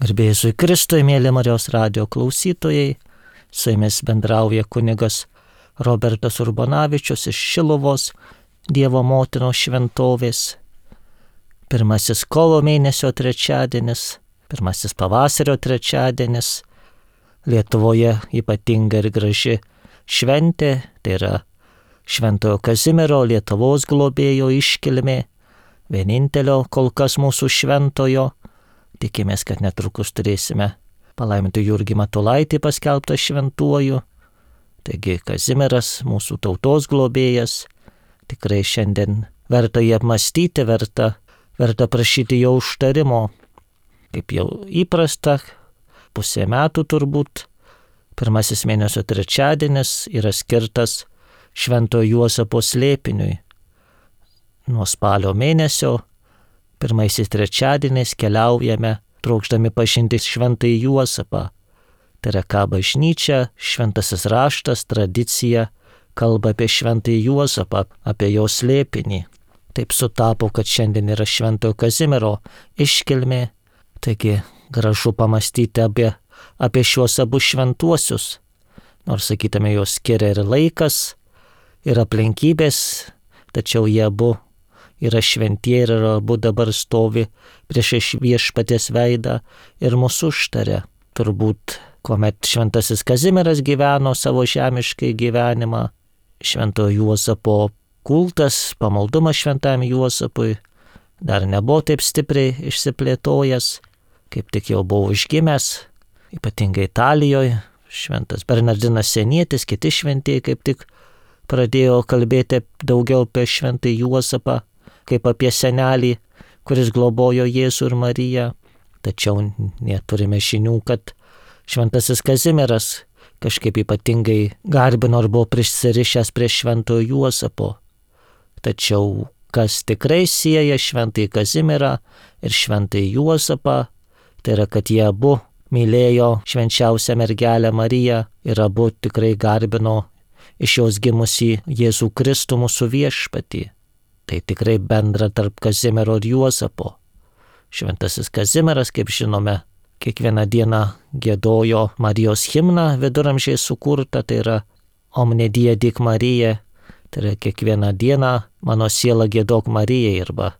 Garbė Jėzui Kristui, mėly Marijos radijo klausytojai, su jumis bendrauja kunigas Robertas Urbonavičius iš Šiluvos Dievo motinos šventovės. Pirmasis kovo mėnesio trečiadienis, pirmasis pavasario trečiadienis, Lietuvoje ypatinga ir graži šventė, tai yra Šventojo Kazimiero Lietuvos globėjo iškilmė, vienintelio kol kas mūsų šventojo. Tikimės, kad netrukus turėsime palaiminti Jurgį Matulaitį paskelbtą šventuoju. Taigi Kazimieras, mūsų tautos globėjas, tikrai šiandien verta jį apmąstyti, verta prašyti jo užtarimo. Kaip jau įprasta, pusė metų turbūt, pirmasis mėnesio trečiadienis yra skirtas Šventojo Juozapo slėpiniui. Nuo spalio mėnesio pirmaisiais trečiadieniais keliaujame, trokšdami pažinti Šventąjį Juozapą. Tai yra, ką bažnyčia, šventasis raštas, tradicija kalba apie Šventąjį Juozapą, apie jo slėpinį. Taip sutapo, kad šiandien yra Šventojo Kazimiero iškilmė, taigi gražu pamastyti apie šiuos abu šventuosius. Nors, sakytume, jos skiria ir laikas, ir aplinkybės, tačiau jie abu yra šventieji ir abu dabar stovi prieš Viešpaties veidą ir mūsų užtaria. Turbūt, kuomet šventasis Kazimieras gyveno savo žemiškai gyvenimą, Šventojo Juozapo kultas, pamaldumas Šventajam Juozapui dar nebuvo taip stipriai išsiplėtojęs, kaip tik jau buvo užgimęs, ypatingai Italijoje. Šventas Bernardinas Senietis, kiti šventieji kaip tik pradėjo kalbėti daugiau apie Šventąjį Juozapą, kaip apie senelį, kuris globojo Jėzų ir Mariją. Tačiau neturime žinių, kad šventasis Kazimieras kažkaip ypatingai garbino ar buvo prisirišęs prie Šventojo Juozapo. Tačiau kas tikrai sieja Šventąjį Kazimierą ir Šventąjį Juozapą, tai yra, kad jie abu mylėjo švenčiausią mergelę Mariją ir abu tikrai garbino iš jos gimusį Jėzų Kristų mūsų viešpatį. Tai tikrai bendra tarp Kazimiero ir Juozapo. Šventasis Kazimieras, kaip žinome, kiekvieną dieną giedojo Marijos himną viduramžiais sukurtą, tai yra Omne die dic Marija, tai yra kiekvieną dieną mano siela giedok Marijai, arba,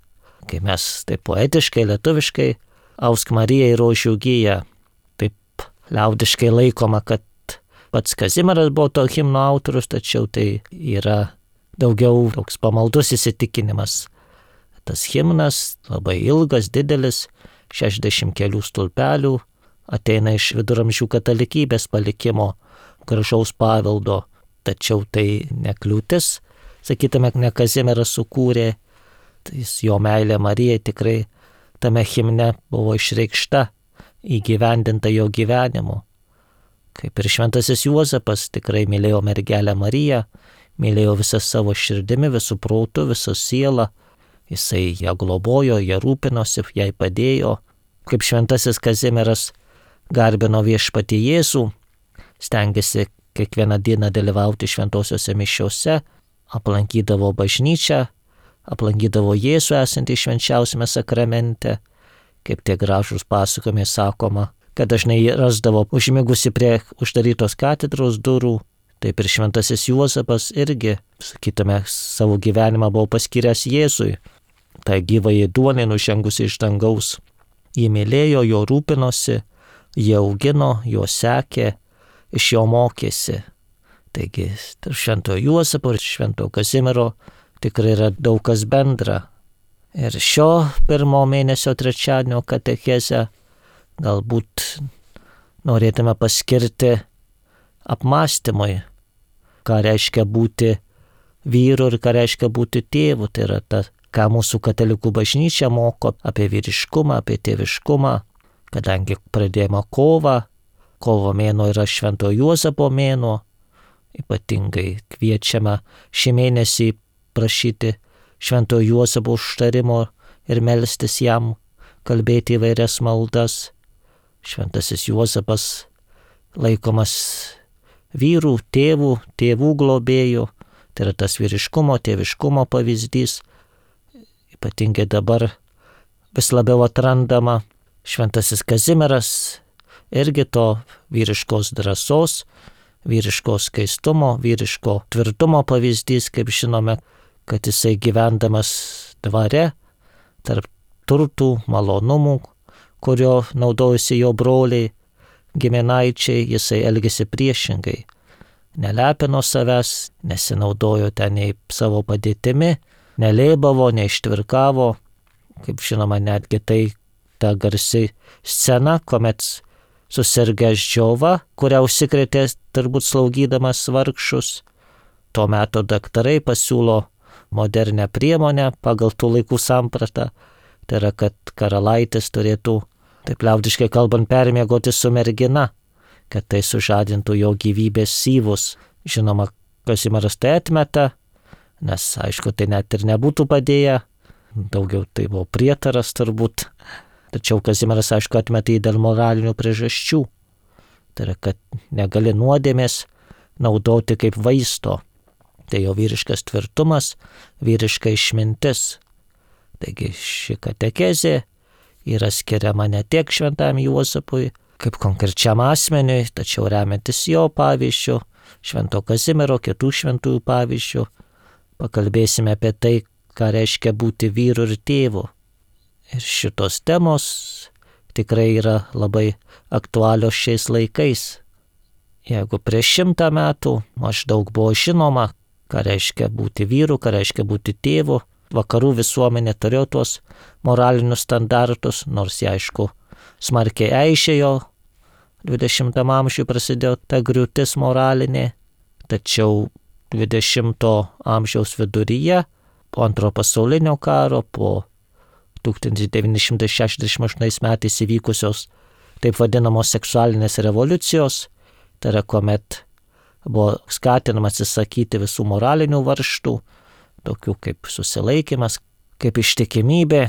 kai mes taip poetiškai, lietuviškai, ausk Marijai rožių giją. Taip liaudiškai laikoma, kad pats Kazimieras buvo to himno autorius, tačiau tai yra daugiau toks pamaldus įsitikinimas. Tas himnas labai ilgas, didelis, 60 kelių stulpelių, ateina iš viduramžių katalikybės palikimo, gražaus paveldo, tačiau tai nekliūtis, sakytume, ne Kazimieras sukūrė, tai jo meilė Marijai tikrai tame himne buvo išreikšta, įgyvendinta jo gyvenimu. Kaip ir šventasis Juozapas tikrai mylėjo mergelę Mariją, mylėjo visą savo širdimi, visų protų, visą sielą. Jisai ją globojo, ją rūpinosi, jai padėjo. Kaip šventasis Kazimieras garbino viešpatį Jėzų, stengėsi kiekvieną dieną dalyvauti šventosiuose mišiose, aplankydavo bažnyčią, aplankydavo Jėzų esantį švenčiausiame sakramente. Kaip tie gražūs pasakojimai sakoma, kad dažnai rasdavo užmigusi prie uždarytos katedros durų. Taip ir šventasis Juozapas irgi, sakytume, savo gyvenimą buvo paskyręs Jėzui, tai gyvąjį duonį nužengusi iš dangaus. Jį mylėjo, jo rūpinosi, jį augino, jo sekė, iš jo mokėsi. Taigi, tarp Šventojo Juozapo ir Šventojo Kazimiero tikrai yra daug kas bendra. Ir šio pirmo mėnesio trečiadienio katechezę galbūt norėtume paskirti apmąstymui, ką reiškia būti vyru ir ką reiškia būti tėvu. Tai yra ką mūsų katalikų bažnyčia moko apie vyriškumą, apie tėviškumą, kadangi pradėjome kovo mėnuo yra Šventojo Juozapo mėnuo, ypatingai kviečiame šį mėnesį prašyti Šventojo Juozapo užtarimo ir melstis jam, kalbėti įvairias maldas. Šventasis Juozapas laikomas vyrų, tėvų globėjų, tai yra tas vyriškumo, tėviškumo pavyzdys, ypatingai dabar vis labiau atrandama Šventasis Kazimieras irgi to vyriškos drąsos, vyriško skaistumo, vyriško tvirtumo pavyzdys, kaip žinome, kad jisai gyvendamas dvare, tarp turtų, malonumų, kurio naudojusi jo broliai, giminaičiai, jisai elgėsi priešingai. Nelepino savęs, nesinaudojo ten nei savo padėtimi, nelėbavo, neištvirkavo. Kaip žinoma, netgi tai ta garsi scena, kuomet susirgęs džiova, kurią užsikrėtė turbūt slaugydamas vargšus. Tuo metu daktarai pasiūlo modernę priemonę pagal tų laikų sampratą. Tai yra, kad karalaitis turėtų, taip liaudiškai kalbant, permiegoti su mergina, kad tai sužadintų jo gyvybės syvus. Žinoma, Kazimieras tai atmeta, nes aišku, tai net ir nebūtų padėję. Daugiau tai buvo prietaras turbūt. Tačiau Kazimieras, aišku, atmetė dėl moralinių priežasčių. Tai yra, kad negali nuodėmės naudoti kaip vaisto. Tai jo vyriškas tvirtumas, vyriška išmintis. Taigi ši katekezė yra skiriama ne tiek šventam Juozapui, kaip konkrečiam asmeniui, tačiau remiantis jo pavyzdžiu, Švento Kazimiero, kitų šventųjų pavyzdžių, pakalbėsime apie tai, ką reiškia būti vyru ir tėvu. Ir šitos temos tikrai yra labai aktualios šiais laikais. Jeigu prieš 100 metų maždaug buvo žinoma, ką reiškia būti vyru, ką reiškia būti tėvu, vakarų visuomenė turėjo tuos moralinius standartus, nors jie aišku smarkiai eižėjo, 20 amžiuje prasidėjo ta griūtis moralinė, tačiau 20 amžiaus viduryje, po Antrojo pasaulinio karo, po 1968 metais įvykusios taip vadinamos seksualinės revoliucijos, tai yra kuomet buvo skatinama atsisakyti visų moralinių varžtų, tokių kaip susilaikymas, kaip ištikimybė,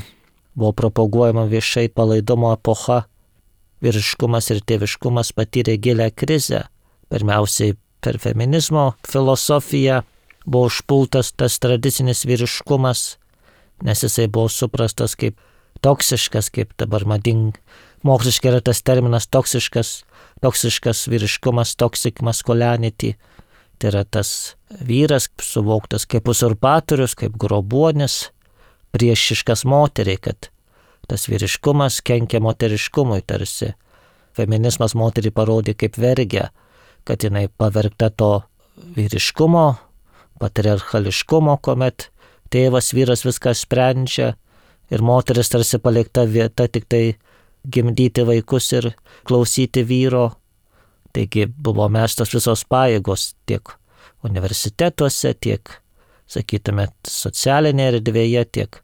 buvo propaguojama viešai palaidumo epocha, vyriškumas ir tėviškumas patyrė gilią krizę. Pirmiausiai per feminizmo filosofiją buvo užpultas tas tradicinis vyriškumas, nes jisai buvo suprastas kaip toksiškas, kaip dabar moksliškai yra tas terminas toksiškas vyriškumas, toxic masculinity. Tai yra tas vyras suvoktas kaip uzurpatorius, kaip grobuonis, priešiškas moteriai, kad tas vyriškumas kenkia moteriškumui tarsi. Feminizmas moterį parodė kaip vergę, kad jinai pavergta to vyriškumo, patriarchališkumo, kuomet tėvas, vyras viską sprendžia ir moteris tarsi palikta vieta tik tai gimdyti vaikus ir klausyti vyro. Taigi buvo mestos visos pajėgos tiek universitetuose, tiek, sakytume, socialinėje erdvėje, tiek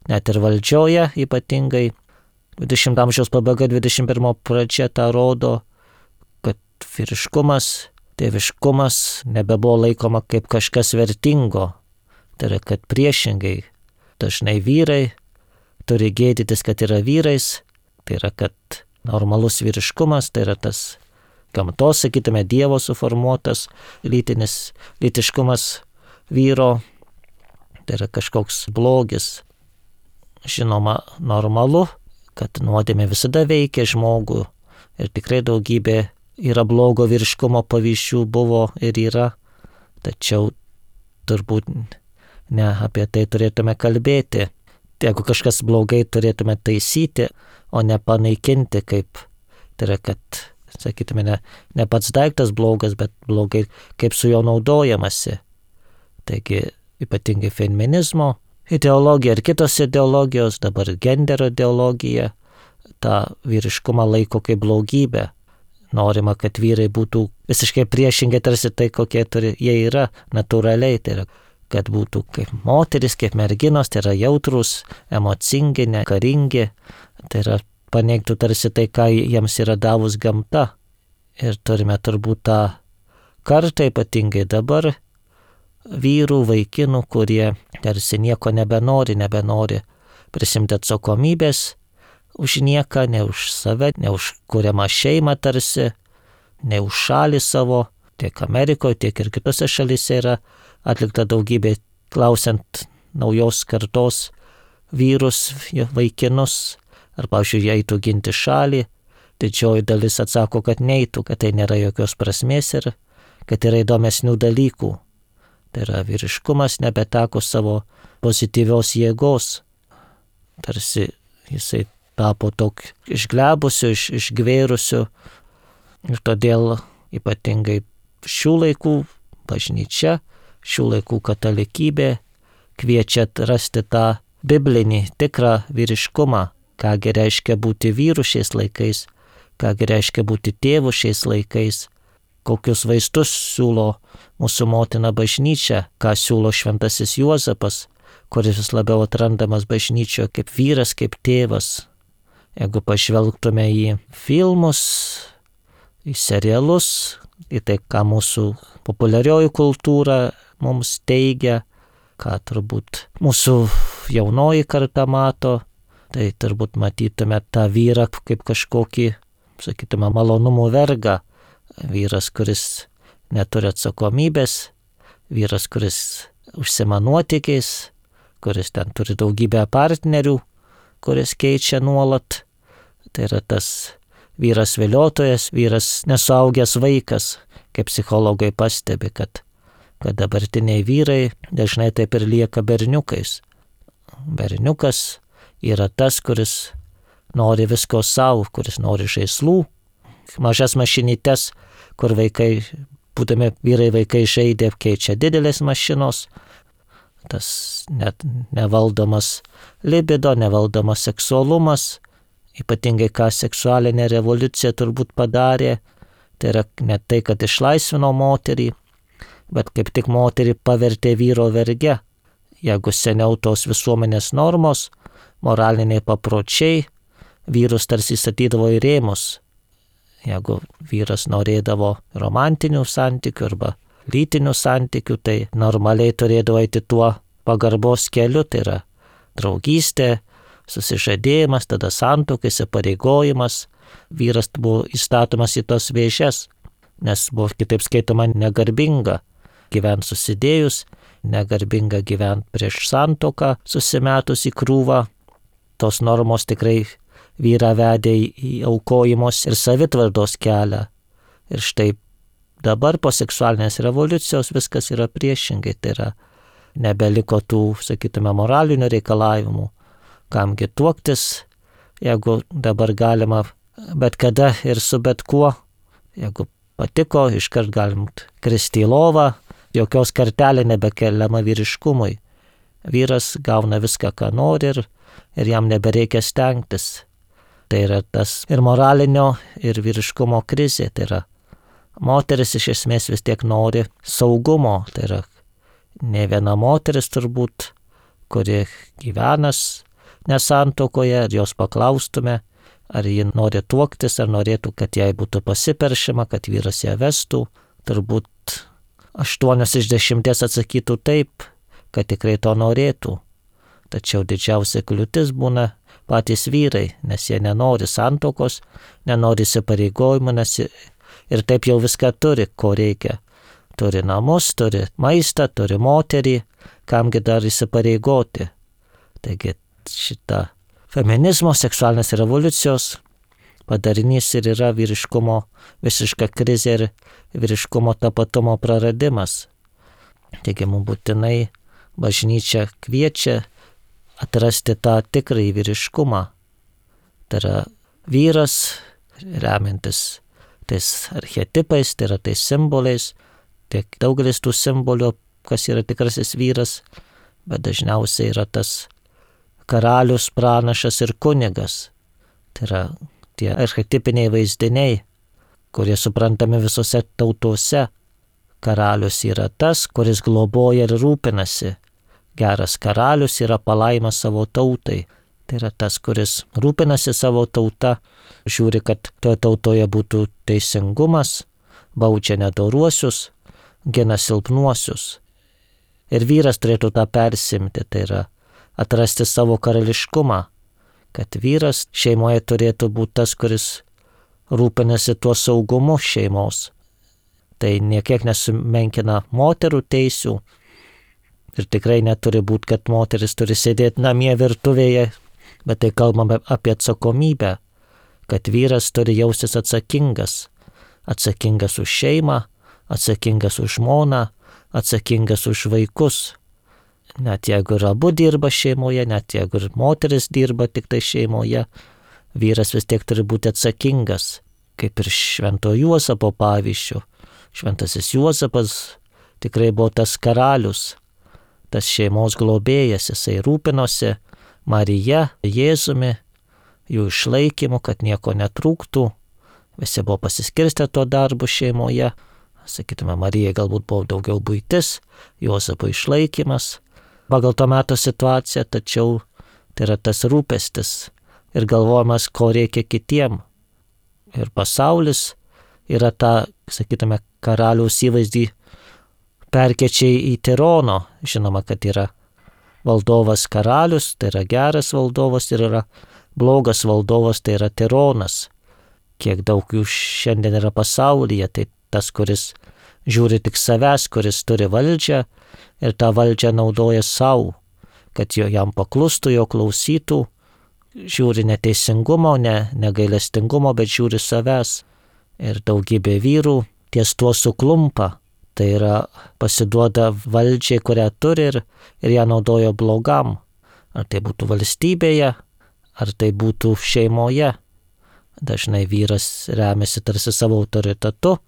net ir valdžioje ypatingai. 20 amžiaus pabaiga, 21 pradžia tą rodo, kad vyriškumas, tėviškumas nebebuvo laikoma kaip kažkas vertingo. Tai yra, kad priešingai dažnai vyrai turi gėdytis, kad yra vyrais, tai yra, kad normalus vyriškumas, tai yra tas gamtos, sakytume, Dievo suformuotas lytiškumas vyro, tai yra kažkoks blogis. Žinoma, normalu, kad nuodėmė visada veikia žmogų ir tikrai daugybė yra blogo vyriškumo pavyzdžių buvo ir yra, tačiau turbūt ne apie tai turėtume kalbėti. Jeigu kažkas blogai, turėtume taisyti, o ne panaikinti, kaip tai yra, kad, sakytume, ne pats daiktas blogas, bet blogai, kaip su jo naudojamasi. Taigi, ypatingai feminizmo ideologija ir kitos ideologijos, dabar genderio ideologija, tą vyriškumą laiko kaip blogybę. Norima, kad vyrai būtų visiškai priešingai tarsi tai, kokie jie yra natūraliai, tai yra, kad būtų kaip moteris, kaip merginos, tai yra jautrus, emocingi, nekaringi, tai yra paneigtų tarsi tai, ką jiems yra davus gamta. Ir turime turbūt tą kartą, ypatingai dabar, vyrų, vaikinų, kurie tarsi nieko nebenori prisimti atsakomybės už nieką, ne už save, ne už kuriamą šeimą tarsi, ne už šalį savo, tiek Amerikoje, tiek ir kitose šalyse yra atlikta daugybė, klausiant naujos kartos vyrus, vaikinus, ar, pavyzdžiui, jie eitų ginti šalį, didžioji dalis atsako, kad neitų, kad tai nėra jokios prasmės ir kad yra įdomesnių dalykų. Tai yra vyriškumas nebeteko savo pozityvios jėgos. Tarsi jisai tapo daug išglebusiu, išgvėrusiu ir todėl ypatingai šių laikų bažnyčia, šių laikų katalikybė kviečia rasti tą biblinį tikrą vyriškumą, kągi reiškia būti vyru šiais laikais, kągi reiškia būti tėvu šiais laikais, kokius vaistus siūlo mūsų motina bažnyčia, ką siūlo šventasis Juozapas, kuris vis labiau atrandamas bažnyčioje kaip vyras, kaip tėvas. Jeigu pažvelgtume į filmus, į serialus, į tai, ką mūsų populiarioji kultūra mums teigia, ką turbūt mūsų jaunoji karta mato, tai turbūt matytume tą vyrą kaip kažkokį, sakytume, malonumų vergą. Vyras, kuris neturi atsakomybės, vyras, kuris užsima nuotykiais, kuris ten turi daugybę partnerių, kuris keičia nuolat. Tai yra tas vyras viliotojas, vyras nesuaugęs vaikas, kaip psichologai pastebi, kad dabartiniai vyrai dažnai taip ir lieka berniukais. Berniukas yra tas, kuris nori visko savo, kuris nori žaislų, mažas mašinytes, kur vaikai, būdami vyrai vaikai žaidė, keičia didelės mašinos, tas net nevaldomas libido, nevaldomas seksualumas, ypatingai ką seksualinė revoliucija turbūt padarė, tai yra ne tai, kad išlaisvino moterį, bet kaip tik moterį pavertė vyro verge. Jeigu seniau tos visuomenės normos, moraliniai papročiai, vyrus tarsi statydavo į rėmus. Jeigu vyras norėdavo romantinių santykių arba lytinių santykių, tai normaliai turėdavo eiti tuo pagarbos keliu, tai yra draugystė, susižadėjimas, tada santuoka, įsipareigojimas. Vyras buvo įstatomas į tos vėžes, nes buvo kitaip skaitoma negarbinga gyventi susidėjus, negarbinga gyventi prieš santuoką, susimetus į krūvą. Tos normos tikrai vyrą vedė į aukojimos ir savitvardos kelią. Ir štai dabar po seksualinės revoliucijos viskas yra priešingai, tai yra nebeliko tų, sakytume, moralinių reikalavimų, kamgi tuoktis, jeigu dabar galima bet kada ir su bet kuo, jeigu patiko, iškart galim kristi į lovą, jokios kartelė nebekeliama vyriškumui. Vyras gauna viską, ką nori ir jam nebereikia stengtis. Tai yra tas ir moralinio, ir vyriškumo krizė. Tai yra moteris iš esmės vis tiek nori saugumo. Tai yra ne viena moteris turbūt, kuri gyvenas nesantuokoje, ar jos paklaustume, ar ji nori tuoktis, ar norėtų, kad jai būtų pasiperšima, kad vyras ją vestų. Turbūt 8 iš 10 atsakytų taip, kad tikrai to norėtų. Tačiau didžiausia kliūtis būna patys vyrai, nes jie nenori santuokos, nenori įsipareigojimų, nes ir taip jau viską turi, ko reikia. Turi namus, turi maistą, turi moterį, kamgi dar įsipareigoti. Taigi šita feminizmo, seksualinės revoliucijos padarinys ir yra vyriškumo visiška krizė ir vyriškumo tapatumo praradimas. Taigi mums būtinai bažnyčia kviečia atrasti tą tikrąjį vyriškumą. Tai yra vyras, remiantis tais archetipais, tai yra tais simboliais, tiek daugelis tų simbolių, kas yra tikrasis vyras, bet dažniausiai yra tas karalius, pranašas ir kunigas. Tai yra tie archetipiniai vaizdiniai, kurie suprantami visose tautose. Karalius yra tas, kuris globoja ir rūpinasi. Geras karalius yra palaima savo tautai. Tai yra tas, kuris rūpinasi savo tauta, žiūri, kad toje tautoje būtų teisingumas, baudžia nedoruosius, gina silpnuosius. Ir vyras turėtų tą persimti, tai yra atrasti savo karališkumą, kad vyras šeimoje turėtų būti tas, kuris rūpinasi tuo saugumu šeimos. Tai niekiek nesumenkina moterų teisių ir tikrai neturi būti, kad moteris turi sėdėti namie virtuvėje Bet tai kalbame apie atsakomybę, kad vyras turi jaustis atsakingas už šeimą, atsakingas už žmoną, atsakingas už vaikus. Net jeigu ir abu dirba šeimoje, net jeigu ir moteris dirba tik tai šeimoje, vyras vis tiek turi būti atsakingas, kaip ir Švento Juozapo pavyzdžių. Šventasis Juozapas tikrai buvo tas karalius, tas šeimos globėjas, jisai rūpinosi Marija, Jėzumi, jų išlaikymu, kad nieko netrūktų. Visi buvo pasiskirstę to darbu šeimoje. Sakytume, Marijai galbūt buvo daugiau buitis, Juozapo išlaikymas pagal to meto situaciją, tačiau tai yra tas rūpestis ir galvojimas, ko reikia kitiem. Ir pasaulis yra ta, sakytume, karaliaus įvaizdį perkeičia į tirono. Žinoma, kad yra valdovas karalius, tai yra geras valdovas, ir yra blogas valdovas, tai yra tironas. Kiek daug jų šiandien yra pasaulyje, tai tas, kuris žiūri tik savęs, kuris turi valdžią ir tą valdžią naudoja savo, kad jam paklustų, jo klausytų, žiūri neteisingumo, negailestingumo, bet žiūri savęs. Ir daugybė vyrų ties tuo suklumpa, tai yra pasiduoda valdžiai, kurią turi ir ją naudoja blogam. Ar tai būtų valstybėje, ar tai būtų šeimoje. Dažnai vyras remiasi tarsi savo autoritetu,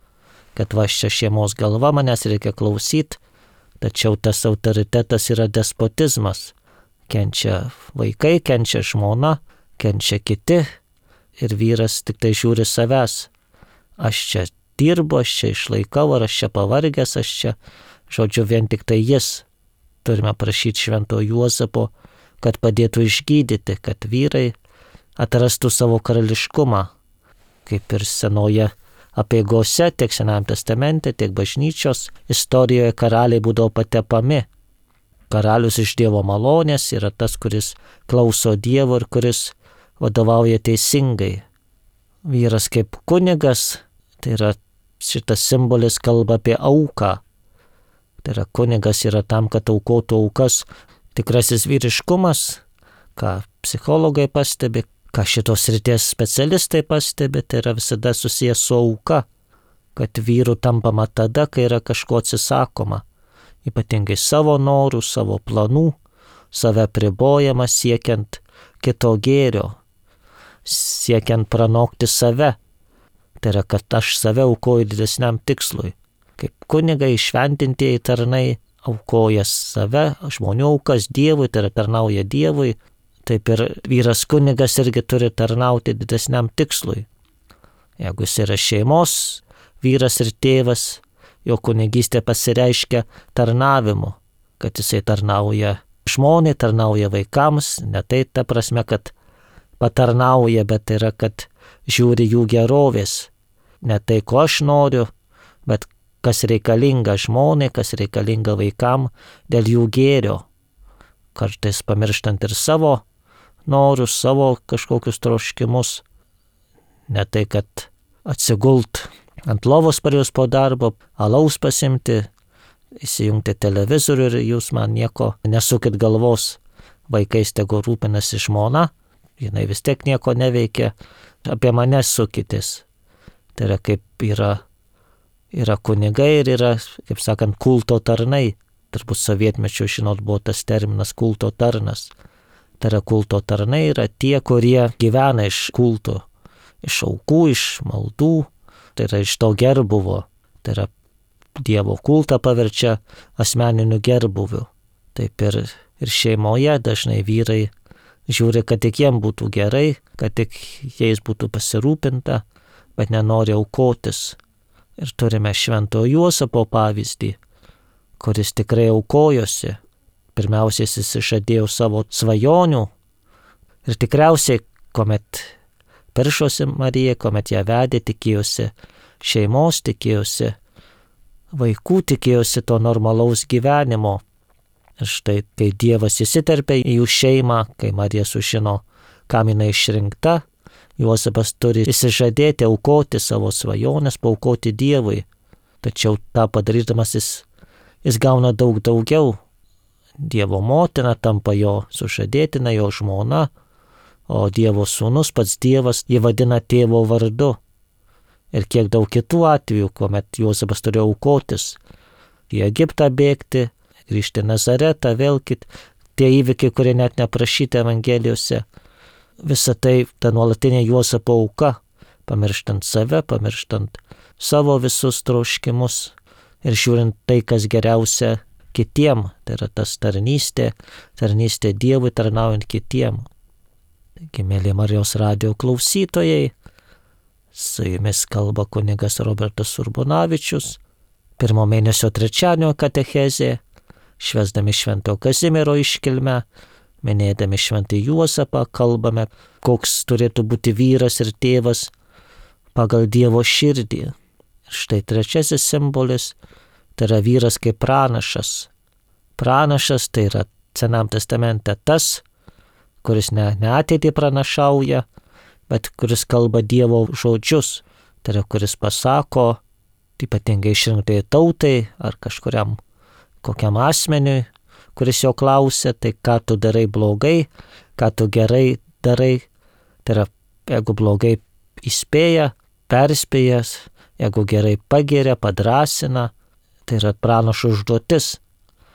kad va čia šeimos galva, manęs reikia klausyti, tačiau tas autoritetas yra despotizmas. Kenčia vaikai, kenčia žmona, kenčia kiti ir vyras tik tai žiūri savęs. Aš čia dirbu, aš čia išlaikau, ar aš čia pavargęs, aš čia, žodžiu, vien tik tai jis. Turime prašyti Švento Juozapo, kad padėtų išgydyti, kad vyrai atrastų savo karališkumą, kaip ir senoje apeigose, tiek Senajame testamente, tiek bažnyčios istorijoje karaliai būdavo patepami. Karalius iš Dievo malonės yra tas, kuris klauso Dievo ir kuris vadovauja teisingai. Vyras kaip kunigas, tai yra šitas simbolis kalba apie auką. Tai yra kunigas yra tam, kad aukotų aukas. Tikrasis vyriškumas, ką psichologai pastebi, ką šitos srities specialistai pastebi, tai yra visada susijęs su auka, kad vyrų tampama tada, kai yra kažko atsisakoma, ypatingai savo norų, savo planų, save pribojama siekiant kito gėrio, siekiant pranokti save. Tai yra, kad aš save aukoju didesniam tikslui. Kaip kunigai, šventintieji tarnai aukoja save, žmonių aukas Dievui, tai yra tarnauja Dievui. Taip ir vyras kunigas irgi turi tarnauti didesniam tikslui. Jeigu jis yra šeimos vyras ir tėvas, jo kunigystė pasireiškia tarnavimu, kad jisai tarnauja žmonai, tarnauja vaikams, ne tai ta prasme, kad patarnauja, bet tai yra, kad žiūri jų gerovės. Ne tai, ko aš noriu, bet kas reikalinga žmonai, kas reikalinga vaikam dėl jų gėrio. Kartais pamirštant ir savo norus, savo kažkokius troškimus. Ne tai, kad atsigult ant lovos parėjus po darbo, alaus pasimti, įsijungti televizorių ir jūs man nieko nesukit galvos. Vaikais tegu rūpinasi žmona, jinai vis tiek nieko neveikia, apie mane sukitės. Tai yra kaip yra kunigai ir yra, kaip sakant, kulto tarnai. Turbūt sovietmečiu, žinot, buvo tas terminas kulto tarnas. Tai yra kulto tarnai yra tie, kurie gyvena iš kulto, iš aukų, iš maldų, tai yra iš to gerbuvo. Tai yra Dievo kultą paverčia asmeniniu gerbuviu. Taip ir šeimoje dažnai vyrai žiūri, kad tik jiem būtų gerai, kad tik jais būtų pasirūpinta, bet nenori aukotis. Ir turime Švento Juozapo pavyzdį, kuris tikrai aukojosi. Pirmiausiai jis išžadėjo savo svajonių ir tikriausiai, kuomet piršosi Marija, kuomet ją vedė, tikėjosi šeimos, tikėjosi vaikų, tikėjosi to normalaus gyvenimo. Ir štai, kai Dievas įsiterpia į jų šeimą, kai Marija sužino, kam jinai išrinkta, Juozapas turi įsižadėti aukoti savo svajonės, paaukoti Dievui. Tačiau tą padarydamas jis gauna daug daugiau. Dievo motina tampa jo sužadėtina, jo žmona, o Dievo sūnus, pats Dievas, jį vadina tėvo vardu. Ir kiek daug kitų atvejų, kuomet Juozapas turėjo aukotis, į Egiptą bėgti, grįžti į Nazaretą, vėl tie įvykiai, kurie net neprašyti Evangelijose. Visa tai ta nuolatinė Juozapo auka, pamirštant save, pamirštant savo visus troškimus ir žiūrint tai, kas geriausia kitiem, tai yra tas tarnystė Dievui, tarnaujant kitiem. Taigi, mėly Marijos radijo klausytojai, su jumis kalba kunigas Robertas Urbonavičius, 1 mėnesio trečiadienio katechezė, švęsdami Švento Kazimiero iškilmę, minėdami Šventąjį Juozapą, kalbame, koks turėtų būti vyras ir tėvas pagal Dievo širdį. Ir štai trečiasis simbolis, tai yra vyras kaip pranašas. Pranašas tai yra Senam testamente tas, kuris ne ateitį pranašauja, bet kuris kalba Dievo žodžius, tai yra kuris pasako, ypatingai išrinktai tautai ar kažkuriam kokiam asmeniui, kuris jo klausia, tai ką tu darai blogai, ką tu gerai darai. Tai yra, jeigu blogai įspėja, perspėjas, jeigu gerai pagiria, padrasina, tai yra pranašo užduotis.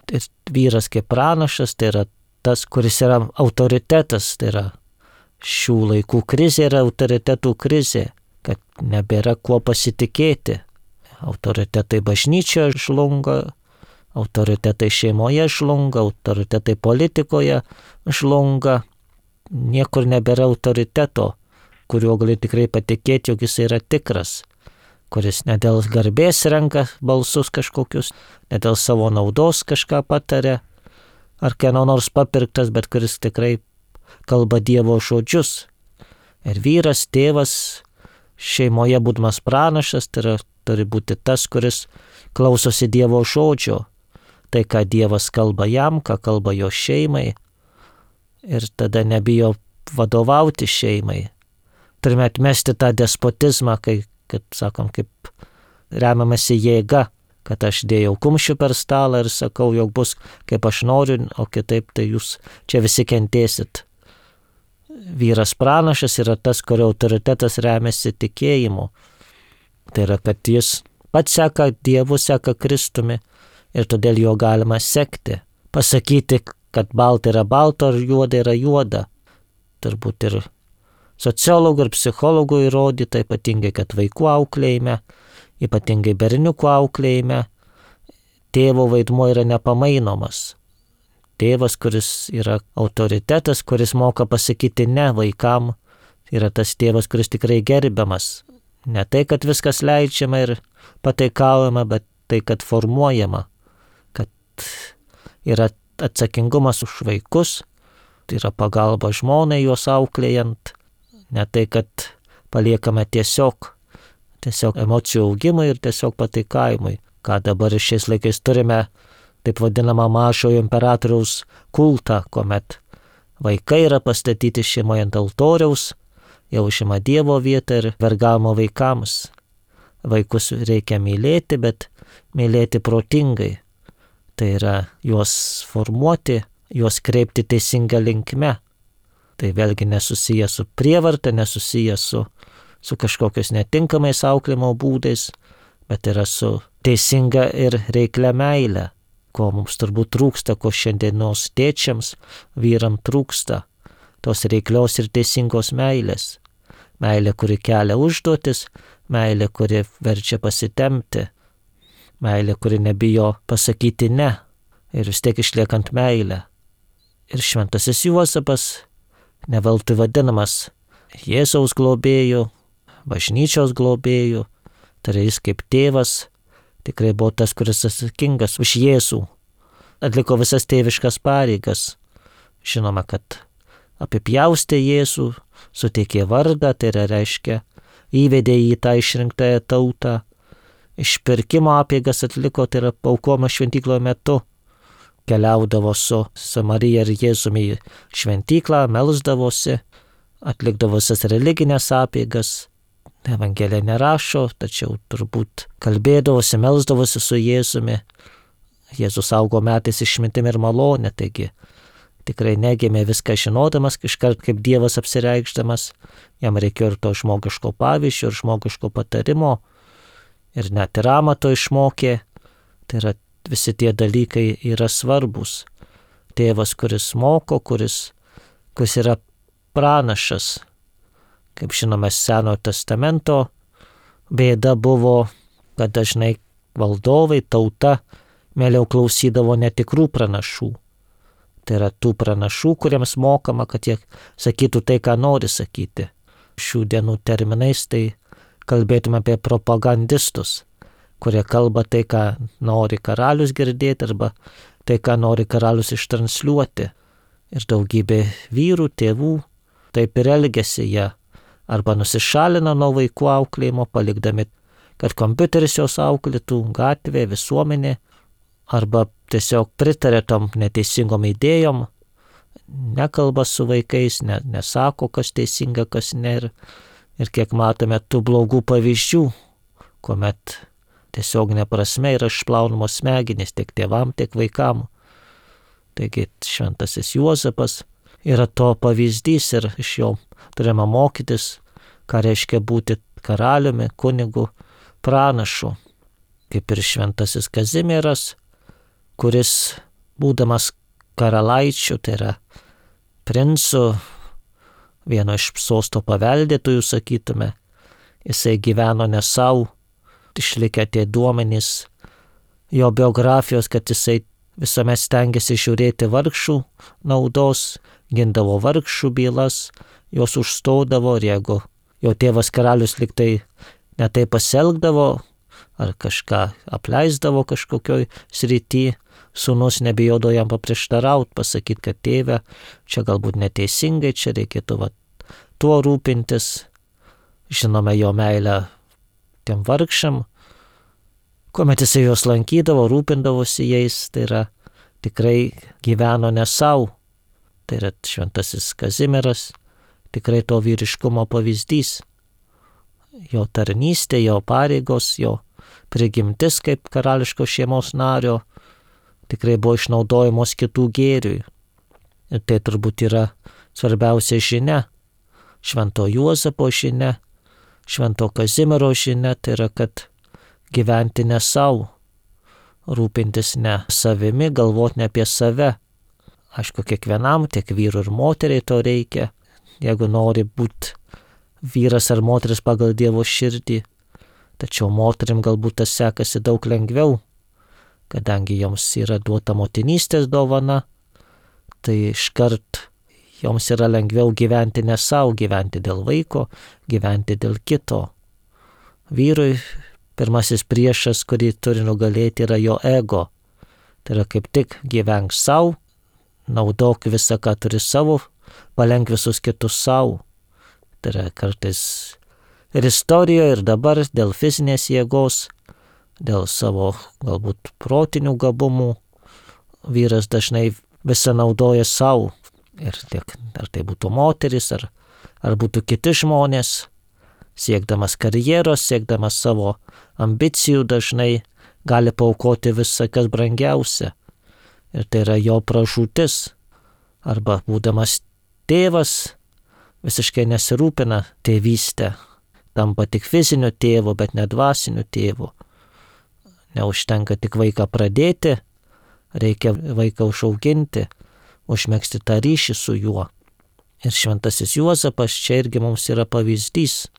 Ir vyras kaip pranašas, tai yra tas, kuris yra autoritetas, tai yra šių laikų krizė yra autoritetų krizė, kad nebėra kuo pasitikėti. Autoritetai bažnyčioje žlunga, autoritetai šeimoje žlunga, autoritetai politikoje žlunga. Niekur nebėra autoriteto, kuriuo gali tikrai patikėti, jog jis yra tikras, kuris ne dėl garbės renka balsus kažkokius, ne dėl savo naudos kažką pataria, ar kieno nors papirktas, bet kuris tikrai kalba Dievo žodžius. Ir vyras, tėvas, šeimoje būdamas pranašas, tai yra, turi būti tas, kuris klausosi Dievo žodžio, tai ką Dievas kalba jam, ką kalba jo šeimai, ir tada nebijo vadovauti šeimai. Turime atmesti tą despotizmą, kad sakom, kaip remiamasi jėga, kad aš dėjau kumščių per stalą ir sakau, jog bus kaip aš noriu, o kitaip tai jūs čia visi kentėsit. Vyras pranašas yra tas, kurio autoritetas remiasi tikėjimu. Tai yra, kad jis pats seka Dievu, seka Kristumi ir todėl jo galima sekti. Pasakyti, kad balta yra balta, ar juoda yra juoda. Turbūt ir sociologų ir psichologų įrodyta, ypatingai, kad vaikų auklėjime, ypatingai berniukų auklėjime, tėvo vaidmuo yra nepamainomas. Tėvas, kuris yra autoritetas, kuris moka pasakyti ne vaikam, yra tas tėvas, kuris tikrai gerbiamas. Ne tai, kad viskas leidžiama ir pataikaujama, bet tai, kad formuojama, kad yra atsakingumas už vaikus, tai yra pagalba žmonai juos auklėjant, ne tai, kad paliekame tiesiog emocijų augimui ir tiesiog pataikavimui, ką dabar šiais laikais turime taip vadinamą mažojo imperatoriaus kultą, kuomet vaikai yra pastatyti šeimoje ant altoriaus, jau užima Dievo vietą ir vergavimo vaikams. Vaikus reikia mylėti, bet mylėti protingai. Tai yra juos formuoti, juos kreipti teisinga linkme. Tai vėlgi nesusiję su prievarta, nesusiję su kažkokios netinkamais auklėjimo būdais, bet yra su teisinga ir reiklia meile, ko mums turbūt trūksta, ko šiandienos tėčiams, vyram trūksta, tos reiklios ir teisingos meilės. Meilė, kuri kelia užduotis, meilė, kuri verčia pasitempti, meilė, kuri nebijo pasakyti ne ir vis tiek išliekant meilę. Ir šventasis Juozapas neveltui vadinamas Jėzaus globėju, bažnyčios globėju, tai jis kaip tėvas tikrai buvo tas, kuris atsakingas už Jėzų, atliko visas tėviškas pareigas. Žinoma, kad apipjaustė Jėzų, suteikė vardą, tai reiškia įvedė į tą išrinktąją tautą, išpirkimo apeigas atliko, tai yra paukojimo šventykloje metu, keliaudavo su Marija ir Jėzumi į šventyklą, melsdavosi, atlikdavo visas religinės apeigas. Evangelija nerašo, tačiau turbūt kalbėdavosi, melsdavosi su Jėzumi. Jėzus augo metais išmintimi ir malonė, taigi tikrai negimė viską žinodamas, iškart kaip Dievas apsireikšdamas, jam reikėjo ir to žmogiško pavyzdžio, ir žmogiško patarimo, ir net ir amato išmokė. Tai yra visi tie dalykai yra svarbus. Tėvas, kuris moko, kuris yra pranašas. Kaip žinome, Senojo testamento bėda buvo, kad dažnai valdovai, tauta mieliau klausydavo netikrų pranašų. Tai yra tų pranašų, kuriems mokama, kad jie sakytų tai, ką nori sakyti. Šių dienų terminais tai kalbėtume apie propagandistus, kurie kalba tai, ką nori karalius girdėti, arba tai, ką nori karalius ištransliuoti. Ir daugybė vyrų, tėvų taip ir elgesi, jie arba nusišalina nuo vaikų auklėjimo, palikdami, kad kompiuteris jos auklėtų, gatvė, visuomenė, arba tiesiog pritarė tom neteisingom idėjom, nekalba su vaikais, nesako, kas teisinga, kas ne. Ir kiek matome tų blogų pavyzdžių, kuomet tiesioginė prasme yra išplaunamos smegenys tiek tėvam, tiek vaikam. Taigi šventasis Juozapas yra to pavyzdys ir iš jo turime mokytis, ką reiškia būti karaliumi, kunigu, pranašu. Kaip ir šventasis Kazimieras, kuris būdamas karalaičiu, tai yra princu, vieno iš sosto paveldėtojų, sakytume, jisai gyveno ne savo, išlikę tie duomenys jo biografijos, kad jisai visuomet stengiasi žiūrėti vargšų naudos, gindavo vargšų bylas, jos užstodavo, ir jeigu jo tėvas karalius liktai netai pasielgdavo, ar kažką apleisdavo kažkokioj srity, sūnus nebijodo jam paprieštarauti, pasakyti, kad tėve, čia galbūt neteisingai, čia reikėtų tuo rūpintis. Žinome jo meilę tiem vargšam, kuomet jisai juos lankydavo, rūpindavosi jais, tai yra tikrai gyveno ne savo. Tai yra šventasis Kazimieras, tikrai to vyriškumo pavyzdys. Jo tarnystė, jo pareigos, jo prigimtis kaip karališkos šeimos nario tikrai buvo išnaudojamos kitų gėriui. Ir tai turbūt yra svarbiausia žinia, švento Juozapo žinia, švento Kazimiero žinia, tai yra, kad gyventi ne savo, rūpintis ne savimi, galvoti ne apie save. Aišku, kiekvienam, tiek vyrų ir moteriai to reikia, jeigu nori būti vyras ar moteris pagal Dievo širdį. Tačiau moterim galbūt tas sekasi daug lengviau, kadangi joms yra duota motinystės dovana, tai iškart joms yra lengviau gyventi ne savo, gyventi dėl vaiko, gyventi dėl kito. Vyrui pirmasis priešas, kurį turi nugalėti, yra jo ego. Tai yra kaip tik gyvenk savo, naudok visą, ką turi savo, palenk visus kitus savo. Tai yra kartais ir istorijoje, ir dabar dėl fizinės jėgos, dėl savo galbūt protinių gabumų, vyras dažnai visą naudoja savo. Ir tiek, ar tai būtų moteris, ar būtų kiti žmonės, siekdamas karjeros, siekdamas savo ambicijų, dažnai gali paaukoti visą, kas brangiausia. Ir tai yra jo pražūtis. Arba būdamas tėvas, visiškai nesirūpina tėvystę, tampa tik fiziniu tėvu, bet ne dvasiniu tėvu. Neužtenka tik vaiką pradėti, reikia vaiką užauginti, užmegzti tą ryšį su juo. Ir šventasis Juozapas čia irgi mums yra pavyzdys.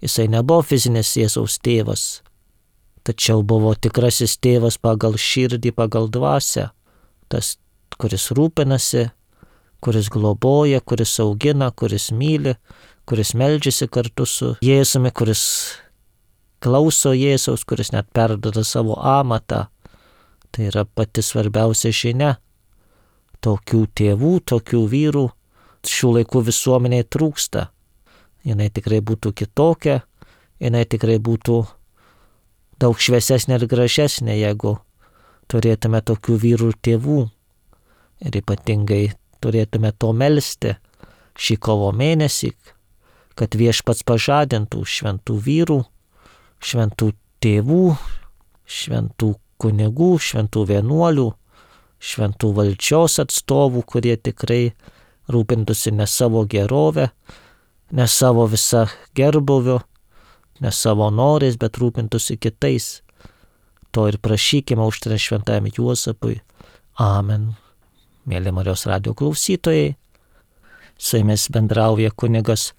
Jisai nebuvo fizinis Jėzaus tėvas, tačiau buvo tikrasis tėvas pagal širdį, pagal dvasią. Tas, kuris rūpinasi, kuris globoja, kuris augina, kuris myli, kuris meldžiasi kartu su Jėzumi, kuris klauso Jėzaus, kuris net perduoda savo amatą. Tai yra pati svarbiausia žinia. Tokių tėvų, tokių vyrų šių laikų visuomeniai trūksta. Jinai tikrai būtų kitokia, jinai tikrai būtų daug šviesesnė ir gražesnė, jeigu turėtume tokių vyrų ir tėvų. Ir ypatingai turėtume to melsti šį kovo mėnesį, kad Viešpats pažadintų šventų vyrų, šventų tėvų, šventų kunigų, šventų vienuolių šventų valdžios atstovų, kurie tikrai rūpintųsi ne savo gerovę, ne savo visą gerbuviu, ne savo norais, bet rūpintųsi kitais. To ir prašykime užtariant šventajam Juozapui. Amen. Mėly Marijos radijo klausytojai, su jumis bendrauja kunigas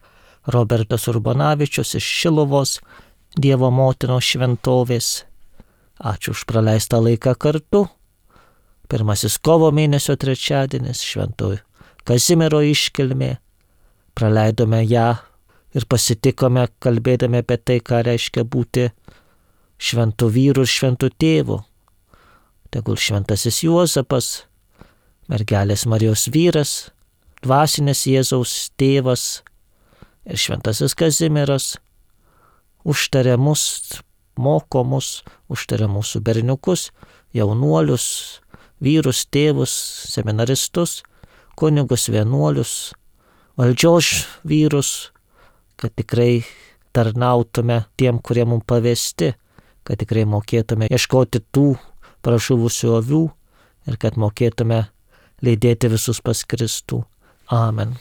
Robertas Urbonavičius iš Šiluvos Dievo motinos šventovės. Ačiū už praleistą laiką kartu. Pirmasis kovo mėnesio trečiadienis, Šventojo Kazimiero iškilmė. Praleidome ją ir pasitikome kalbėdami apie tai, ką reiškia būti šventų vyrų ir šventų tėvų. Tegul šventasis Juozapas, mergelės Marijos vyras, dvasinės Jėzaus tėvas ir šventasis Kazimieras užtaria mus, moko mus, užtaria mūsų berniukus, jaunuolius, vyrus, tėvus, seminaristus, kunigus, vienuolius, valdžios vyrus, kad tikrai tarnautume tiem, kurie mums pavesti, kad tikrai mokėtume ieškoti tų pražuvusių avių ir kad mokėtume lydėti visus pas Kristų. Amen.